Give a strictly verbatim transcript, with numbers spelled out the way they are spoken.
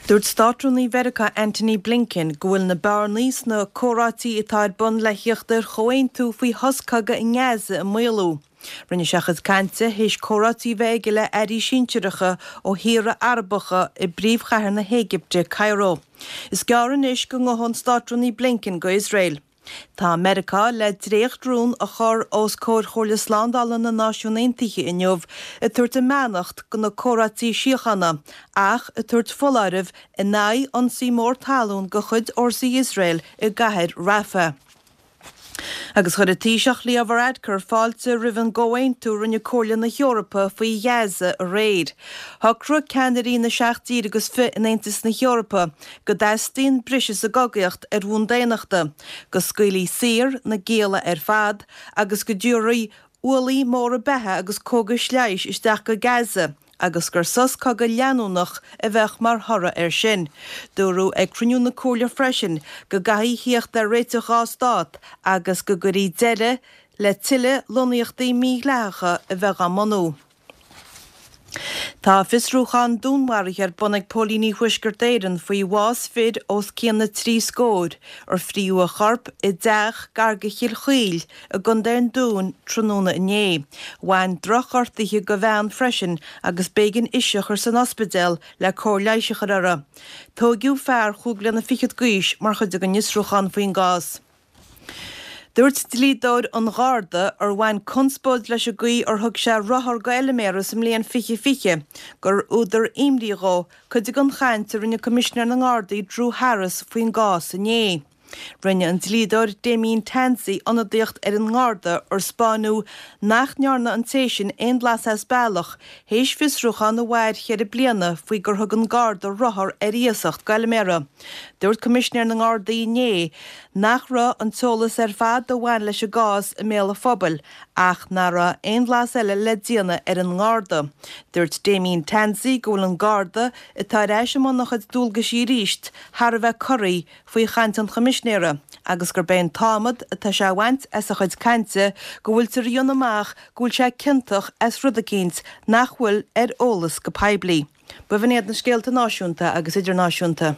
Dúirt Státrúnaí Mheiriceá Antony Blinken go bhfuil na bearnaí sna comhráití atá ar bun le theacht ar chomhaontú faoi shos cogaidh i nGaza i mbaolú. Rinne sé a chuid cainte théis comhráití a bheith aige le airí sinsearacha ó thíortha Arabacha i bpríomhchathair na hÉigipte, Cairo. Is gearr anois go ngabhfaidh an Státrúnaí Blinken go Iosrael. Tá Meiriceá le dréacht-rún a chur os comhair Chomhairle Slándála na Náisiún Aontaithe inniu ag tabhairt a mbeannacht do na comhráití síochána ach ag tabhairt foláireamh in aghaidh ionsaí mór talún de chuid fhórsaí Iosrael i gcathair Rafah. Agus chuir an Taoiseach Leo Varadkar fáilte roimh an gcomhaontú a rinne Comhairle na hEorpa faoi Ghaza aréir. Shocraigh ceannairí na seacht dtír agus fiche in Aontas na hEorpa go dteastaíonn briseadh sa gcogaíocht ar bhonn daonnachta, go scaoilfí saor na gialla ar fad agus go dtabharfaí ualaí móra beatha agus cógais leighis isteach go Gaza agus gur sos cogaidh leanúnach a bheadh mar thoradh air sin. Dúradh ag cruinniú na Comhairle freisin go gcaithfí theacht ar réiteach dhá stát agus go gcuirfí deireadh le tuilleadh lonnaíochtaí mídhleathacha a bheith á mbunú. Tá fiosrúchán dúnmharaithe ar bun ag Póilíní Thuaisceart Éireann faoi bhás fir os cionn na trí scór ar fríodh a chorp i dteach gar do Chill Chaoil i gContae an Dúin tráthnóna inné. Bhain drochghortuithe do bhean freisin agus b'éigean ise a chur san ospidéal le cóir leighis a chur uirthi. Tóigeadh fear chúig bliana fichead d'aois mar chuid den fhiosrúchán faoin gcás. Dúirt dlíodóir an Gharda ar bhain conspóid leis an gcaoi ar thug sé rothar do fheilméara sa mbliain fiche fiche gur údar imní dhó cuid den chaint a rinne Coimisinéir na nGardaí Drew Harris faoin gcás inné. Rinne an dlíodóir Damien Tansey ionadaíocht ar an nGarda ar spáineadh nach ndearna an té sin aon bhlas as bealach théis fiosrúchán a mhair ceithre bliana faoi gur thug an Garda rothar ar iasacht do fheilméara. Dúirt Coimisinéir na nGardaí inné nach raibh an t-eolas ar fad a bhain leis an gcás i mbéal an phobail ach nach raibh aon bhlas eile le déanamh ar an nGarda. Dúirt Damien Tansey go bhfuil an Garda atá ar ais i mbun a chuid dualgaisí arís thar a bheith corraithe faoi chaint an Choimisinéara agus gurb é an t-adhmad atá sé a bhaint as a chuid cainte go bhfuiltear a dhéanamh amach go bhfuil sé ciontach as rud eicínt nach bhfuil ar eolas go poiblí. B'in iad na scéalta náisiúnta agus idirnáisiúnta.